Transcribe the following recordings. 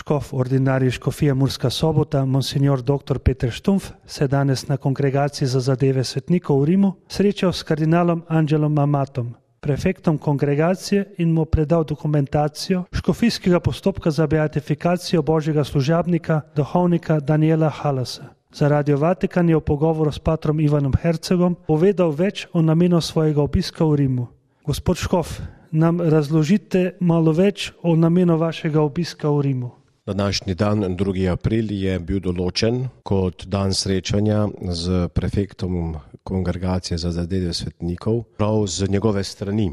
škof ordinarij škofije Murska Sobota, monsignor dr. Peter Štumpf, se je danes na Kongregaciji za zadeve svetnikov v Rimu srečal s kardinalom Angelom Amatom, prefektom kongregacije, in mu predal dokumentacijo škofijskega postopka za beatifikacijo božjega služabnika, duhovnika Daniela Halasa. Za Radio Vatikan je v pogovoru s patrom Ivanom Hercegom povedal več o namenu svojega obiska v Rimu. Gospod škof, nam razložite malo več o namenu vašega obiska v Rimu. Današnji dan, 2. april, je bil določen kot dan srečanja z prefektom Kongregacije za zadeve svetnikov, prav z njegove strani.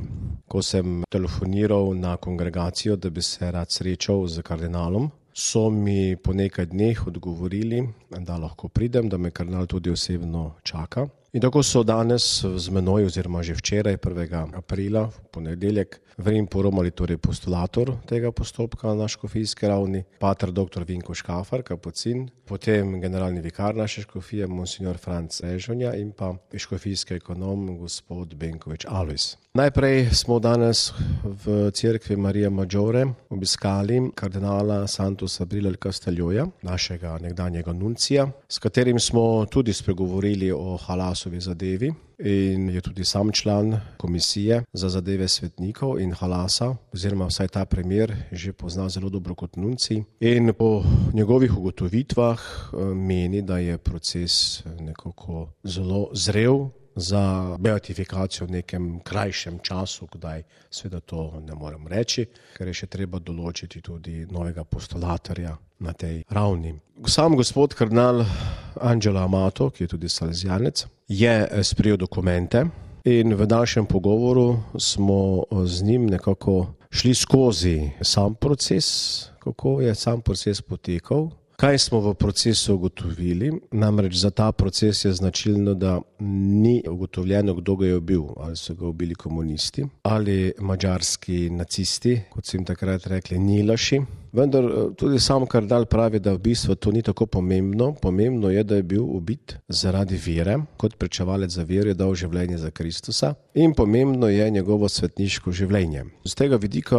Ko sem telefoniral na kongregacijo, da bi se rad srečal z kardinalom, so mi po nekaj dneh odgovorili, da lahko pridem, da me kardinal tudi osebno čaka. In tako so danes z menoj, oziroma že včeraj, 1. aprila, v ponedeljek, v Rim poromali torej postulator tega postopka na škofijski ravni, pater dr. Vinko Škafar, kapucin, potem generalni vikar naše škofije, monsignor Franc Režonja, in pa škofijski ekonom, gospod Benkovič Alojz. Najprej smo danes v cerkvi Marija Maggiore obiskali kardinala Santosa Brilal Casteljoja, našega nekdanjega nuncija, s katerim smo tudi spregovorili o Halasovi zadevi, in je tudi sam član komisije za zadeve svetnikov in Halasa, oziroma vsaj ta primer že pozna zelo dobro kot nuncij. In po njegovih ugotovitvah meni, da je proces nekako zelo zrel za beatifikacijo v nekem krajšem času, kdaj seveda to ne morem reči, ker je še treba določiti tudi novega postulatorja na tej ravni. Sam gospod kardinal Angelo Amato, ki je tudi salesijanec, je sprejel dokumente in v našem pogovoru smo z njim nekako šli skozi sam proces, kako je sam proces potekal. Kaj smo v procesu ugotovili? Namreč za ta proces je značilno, da ni ugotovljeno, kdo ga je ubil. Ali so ga ubili komunisti, ali madžarski nacisti, kot so jim takrat rekli, nilaši. Vendar tudi sam kardinal pravi, da v bistvu to ni tako pomembno. Pomembno je, da je bil ubit zaradi vere, kot pričevalec za vero je dal življenje za Kristusa, in pomembno je njegovo svetniško življenje. Z tega vidika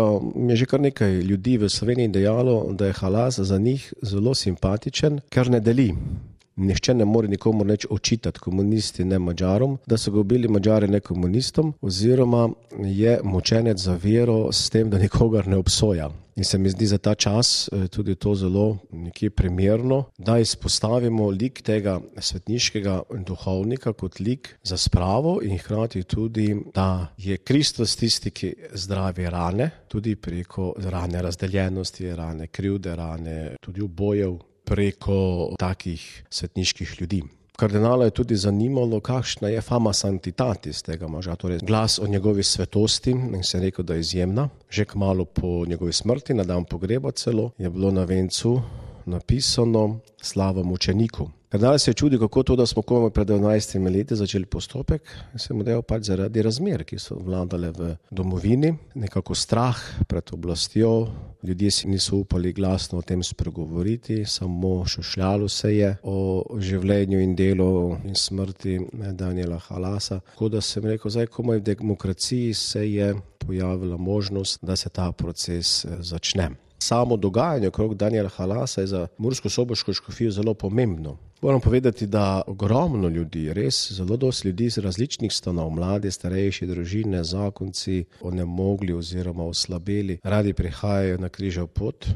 je že kar nekaj ljudi v Sloveniji dejalo, da je Halas za njih zelo simpatičen, ker ne deli. Nihče ne more nikomu nič očitati, komunisti ne Madžarom, da so ga ubili Madžari ne komunistom, oziroma je mučenec za vero s tem, da nikogar ne obsoja. In se mi zdi za ta čas tudi to zelo nekje primerno, da izpostavimo lik tega svetniškega duhovnika kot lik za spravo in hkrati tudi, da je Kristus tisti, ki zdravi rane, tudi preko rane razdeljenosti, rane krivde, rane tudi ubojev, preko takih svetniških ljudi. Kardinala je tudi zanimalo, kakšna je fama sanctitatis tega moža, torej glas o njegovi svetosti, in se je rekel, da je izjemna. Že kmalu po njegovi smrti, na dan pogreba celo, je bilo na vencu napisano slava mučeniku. Kardinal se je čudil, kako to, da smo komaj pred 12 leti začeli postopek, se mu dejal pač zaradi razmer, ki so vladale v domovini, nekako strah pred oblastjo, ljudje si niso upali glasno o tem spregovoriti, samo šušljalo se je o življenju in delu in smrti Daniela Halasa. Tako da sem rekel, zdaj komaj v demokraciji se je pojavila možnost, da se ta proces začne. Samo dogajanje okrog Daniela Halasa je za mursko-soboško škofijo zelo pomembno. Moram povedati, da ogromno ljudi, res zelo dosti ljudi iz različnih stanov, mladi, starejši, družine, zakonci, onemogli oziroma oslabeli, radi prihajajo na križev pot,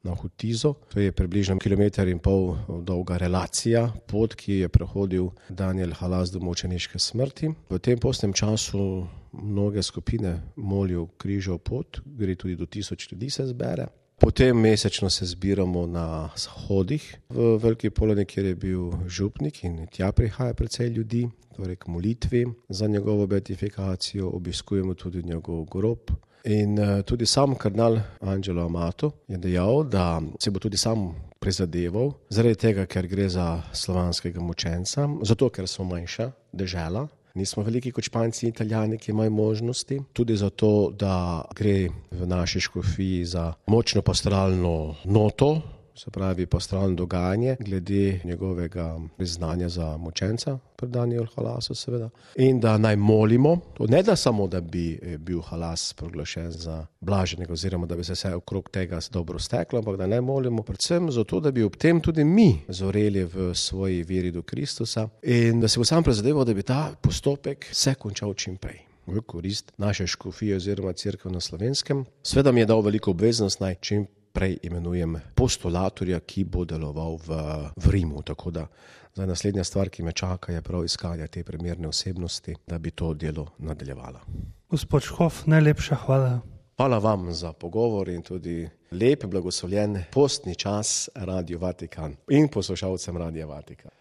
na Hutizo. To je približno 1,5 km dolga relacija, pot, ki je prehodil Daniel Halas do mučeniške smrti. V tem postnem času mnoge skupine molijo križev pot, gre tudi do 1000 ljudi se zbere. Potem mesečno se zbiramo na shodih v Veliki Polani, kjer je bil župnik, in tja prihaja precej ljudi, torej k molitvi za njegovo beatifikacijo, obiskujemo tudi njegov grob. In tudi sam kardinal Angelo Amato je dejal, da se bo tudi sam prizadeval, zaradi tega, ker gre za slovanskega mučenca, zato ker smo manjša dežela. Nismo veliki kot Španci in Italijani, ki imajo možnosti. Tudi zato, da gre v naši škofiji za močno pastoralno noto, se pravi pastoral dogajanje glede njegovega priznanja za mučenca pred Daniel Halasu seveda. In da naj molimo, ne da samo, da bi bil Halas proglašen za blaženega oziroma da bi se vse okrog tega dobro steklo, ampak da naj molimo predvsem zato, da bi ob tem tudi mi zoreli v svoji veri do Kristusa in da se bo sam prizadeval, da bi ta postopek se končal čim prej v korist naše škofije oziroma cerkev na Slovenskem. Sveda mi je dal veliko obveznost, naj čim prej imenujem postulatorja, ki bo deloval v Rimu, tako da zdaj naslednja stvar, ki me čaka, je prav iskanje te primerne osebnosti, da bi to delo nadaljevala. Gospod Škof, najlepša hvala. Hvala vam za pogovor in tudi lep, blagoslovljen postni čas Radio Vatikan in poslušalcem Radia Vatikan.